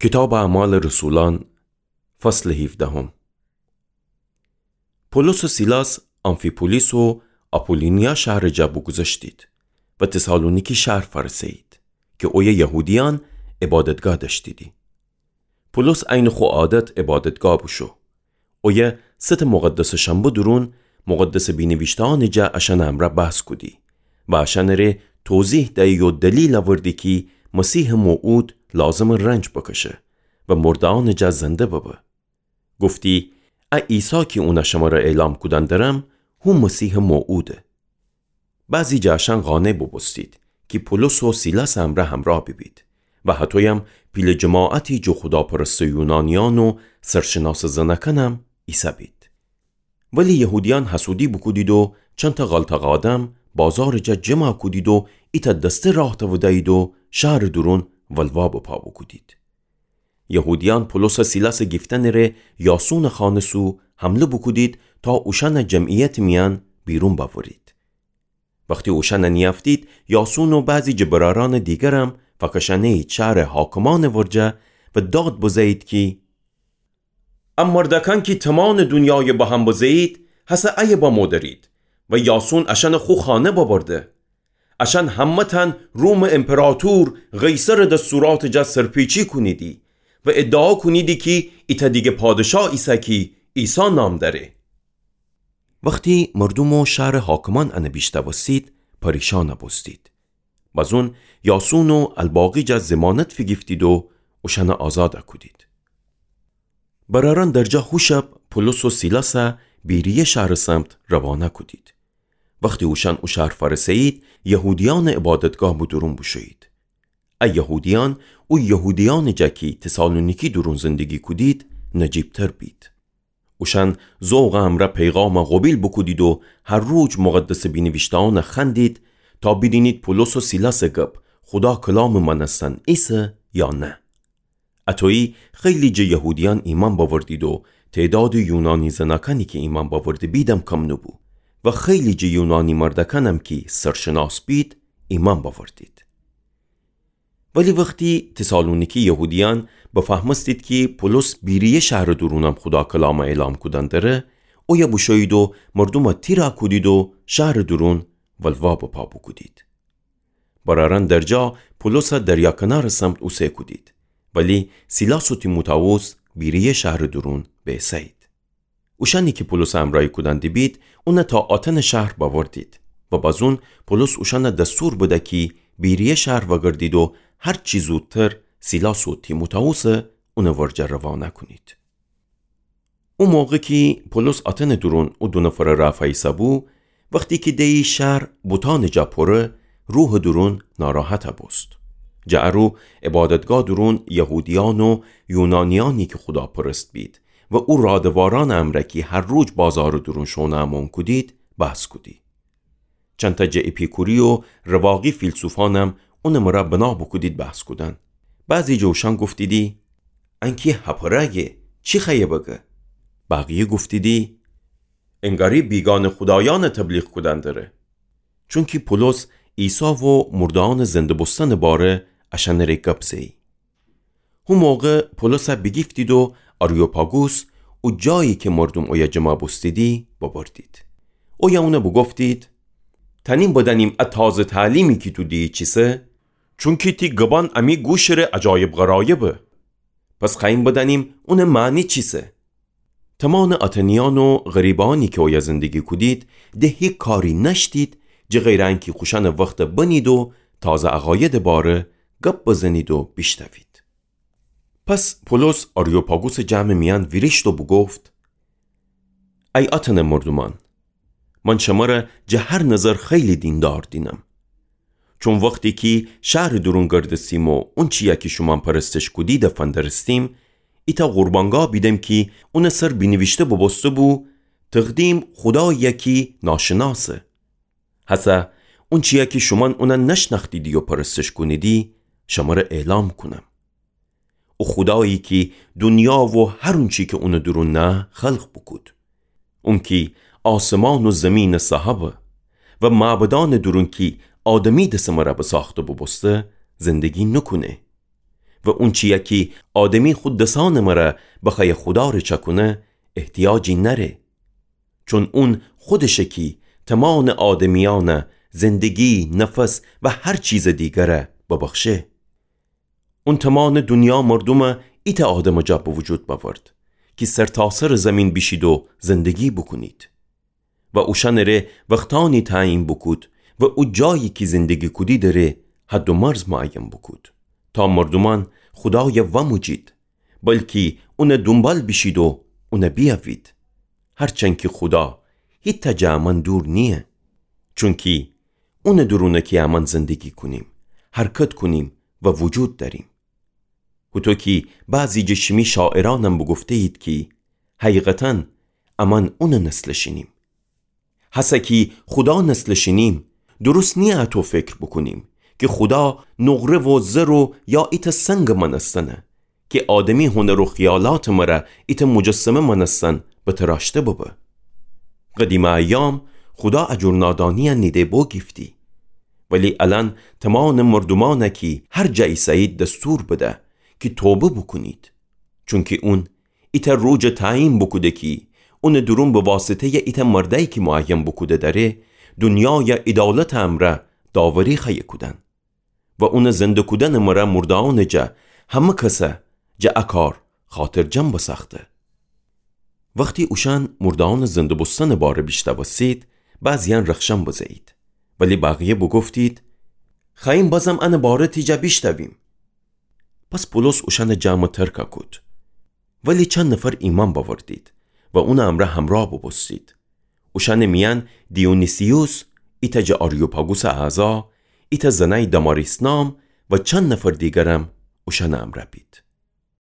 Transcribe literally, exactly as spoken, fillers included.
کیتابٚ اعمالٚ رسولأن، فصلٚ هیفدهم. پولس و سیلاس آمفی‌پولیس و آپولونیا شهرٚ جا بوگوذشتید و تسالونیکی شهر فأرسه‌یید کی اویه یهودیأن عبادتگاه دأشتیدی. پولس عینٚ خو عادت عبادتگاه بوشو. اویه ستٚ مقدسٚ شنبه دورون مقدسٚ بینیویشته‌یأنٚ جا اشأنٚ امرأ بحث کودی و اشأنٚ ره توضیح دیی و دلیل اوردی کی مسیحٚ موعود لازمه رنج بکشه و مرده‌یأنٚ جا زنده ببه. گفتی: ا عیسی کی اونَ شمره اعلام کودن درم، هو مسیحٚ موعوده. بعضی جٚه اشأن قانع بوبوستید کی پولس و سیلاسٚ امرأ همرأ بیبید و هطویم پیله جماعتی جٚه خوداپرستٚ یونانیأن و سرشناسٚ زنأکأنم ایسه‌بید. ولی یهودیأن حسودی بوکودید و چندتأ غلطأق آدم بازارٚ جا جمع کودید و ایتأ دسته راه تأودأیید و شهرٚ دورون ولوا به پا بوکودید. یهودیأن پولس و سیلاسٚ گیفتنٚ ره یاسونٚ خانه سو حمله بوکودید تا اوشأنَ جمعیتٚ میأن بیرون بأورید. وختی اوشأنَ نیأفتید، یاسون و بعضی جٚه برأرأنٚ دیگرم فأکشأنه‌یید شهرٚ حاکمأنٚ ورجه و داد بزه‌یید کی ا مردأکأن کی تومانٚ دونیای به هم بزه‌یید، هسه ایه بمو درید و یاسون اشأنٚ خو خانه ببرده. اشأن همه‌تأن رومٚ امپراطور قیصرٚ دستوراتٚ جا سرپیچی کونیدی و ادعا کونیدی کی ایتأ دیگه پادشاه ایسه کی عیسی نام دأره. وختی مردوم و شهرٚ حاکمأن انَ بیشنوستید، پریشأن بوستید. بزون یاسون و الباقی جا ضمانت فیگیفتید و اوشأنَ آزاد کودید. برأرأن درجا هو شب پولس و سیلاسَ بیریه شهرٚ سمت روانه کودید. وختی اوشأن او شهر فأرسه‌یید، یهودیأنٚ عبادتگاه به دورون بوشویید. ا یهودیأن او یهودیأنٚ جا کی تسالونیکی دورون زندگی کودید، نجیبتر بید. اوشأن ذوقٚ امرأ پیغامَ قوبیل بوکودید و هر روز مقدسٚ بینیویشته‌یأنَ خوأندید تا بیدینید پولس و سیلاسٚ گب خودا کلامٚ مأنستن ایسه یا نه. اطویی خیلی جٚه یهودیأن ایمأن بأوردید و تعدادٚ یونانی زنأکأنی کی ایمأن بأورده بیدم کم نوبو و خیلی جٚه یونانی مردأکأنم کی سرشناس بید ایمأن بأوردید. ولی وختی تسالونیکی یهودیأن بفهمستید کی پولس بیریه شهرٚ دورونم خودا کلامَ اعلام کودن دره، اویه بوشویید و مردومَ تیرَ کودید و شهرٚ دورون ولوا به پا بوکودید. برأرأن درجا پولسَ دریا کنارٚ سمت اوسه کودید، ولی سیلاس و تیموتائوس بیریه شهرٚ دورون بیسه‌یید. اوشأنی کی پولسَ امرأیی کودن دیبید، اونَ تا آتنٚ شهر بأوردید و بزون پولس اوشأنَ دستور بده کی بیریه شهر وأگردید و هر چی زودتر سیلاس و تیموتائوسَ اونٚ ورجه روانه کونید. او موقع کی پولس آتنٚ دورون او دو نفرٚ رأ فأیسه‌بو، وختی کی دیی شهر بوتأنٚ جا پوره، روحٚ دورون ناراحت بوست. جٚه ا رو عبادتگاه دورون یهودیأن و یونانیأنی کی خوداپرست بید و او رادوارأنٚ امرأ کی هر روز بازارٚ دورون شونا امون کودید، بحث کودی. چندتأ جٚه اپیکوری و رواقی فیلسوفأنم اونٚ مرأ بنا بوکودید بحث کودن. بعضی جٚه اوشأن گفتیدی: انکی هپرأگه، چی خوأیه بگه؟ بقیه گفتیدی: انگاری بیگانه خودایأنٚ تبلیغ کودن دره. چونکی پولس عیسی و مرده‌یأنٚ زنده بوستنٚ باره اشأنٚ ره گب زه‌یی. هو موقع پولسَ بیگیفتید و آریوپاگوس، او جایی کی مردوم اویه جمع بوستیدی، ببردید. اویه اونَ بوگفتید: تأنیم بدأنیم ا تازه تعلیمی کی تو دیی چیسه؟ چونکی تی گبأن امی گوشٚ ره عجایب غرایبه. پس خوأییم بدأنیم اونٚ معنی چیسه؟ تومانٚ آتنیأن و غریبه‌یأنی کی اویه زندگی کودید، د هیکاری نأشتید، جٚه غیرٚ انکی خوشأنٚ وختَ بنید و تازه عقایدٚ باره گب بزنید و بیشنوید. پس پولس آریوپاگوسٚ جمعٚ میأن ویریشت و بوگفت: ای آتنٚ مردومأن، من شمره جٚه هر نظر خیلی دیندار دینم. چون وختی کی شهرٚ دورون گردستیم و اونچیی کی شومأن پرستش کودیدی فندرستیم، ایتأ قربانگاه بیدم کی اونٚ سر بینیویشته بوبوسته‌بو: تقدیم خوداییی کی ناشناسه. هسه اونچیی کی شومأن اونَ نشنأختیدی و پرستش کونیدی، شمره اعلام کونم. او خودایی کی دونیا و هر اونچی کی اونٚ دورون نه خلق بوکود. اون کی آسمان و زیمینٚ صاحبه و معبدأنٚ دورون کی آدمی دسٚ مرا بساخته بوبوسته زندگی نوکونه. و اونچیی کی آدمی خو دسأنٚ مره بخوأیه خودا ره چأکونه، احتیاجی نأره. چون اون خودشه کی تمامٚ آدمیأنه زندگی، نفس و هر چیزٚ دیگره ببخشه. اون تمامٚ دونیا مردومه ایتأ آدمٚ جا به وجود بأورد کی سرتاسرٚ زیمین بیشید و زندگی بوکونید. و اوشأنٚ ره وختأنی تعیین بوکود و او جایی کی زندگی کودیدٚ ره حد و مرز معین بوکود، تا مردومأن خودای وأموجید، بلکی اونٚ دونبال بیشید و اون بیأوید. هرچند کی خودا هیتأ جٚه امأن دور نییه، چونکی اونٚ دورونه کی امأن زندگی کونیم، حرکت کونیم و وجود دأریم. هوطو کی بعضی جٚه شیمی شاعرأنم بوگفته‌یید کی حقیقتاً امأن اونٚ نسلٚ شینیم. هسه کی خودا نسلٚ شینیم، درست نییه اطو فکر بوکونیم کی خودا نقره و زر و یا ایتأ سنگٚ مأنستنه کی آدمی هنر و خیالاتٚ مره ایتأ مجسمه مأنستن بتراشته ببه. قدیمٚ ایام خودا ا جور نادانییه نیده بوگیفتی. ولی الأن تمامٚ مردومأنه کی هر جا ایسه‌یید دستور بده کی توبه بوکونید. چونکی اون ایتأ روجٚ تعیین بوکوده کی اونٚ دورون به واسطه‌یٚ ایتأ مردأیی کی معین بوکوده دأره، دونیای عدالتٚ امرأ داوری خوأیه کودن و اونٚ زنده کودنٚ مره مرده‌یأنٚ جا همه کسه جٚه ا کار خاطرجم بسأخته. وختی اوشأن مرده‌یأنٚ زنده بوستنٚ باره بیشنوستید، بعضییأن رخشن بزه‌یید، ولی بقیه بوگفتید: خوأییم بازم انٚ باره تی جا بیشنویم. پس پولس اوشأنٚ جمعٚ ترک کود. ولی چند نفر ایمأن بأوردید و اونٚ امرأ همرأ بوبوستید. اوشأنٚ میأن دیونیسیوس، ایتأ جٚه آریوپاگوسٚ اعضا، ایتأ زنأی داماریس نام و چند نفر دیگرم اوشأنٚ امرأ بید.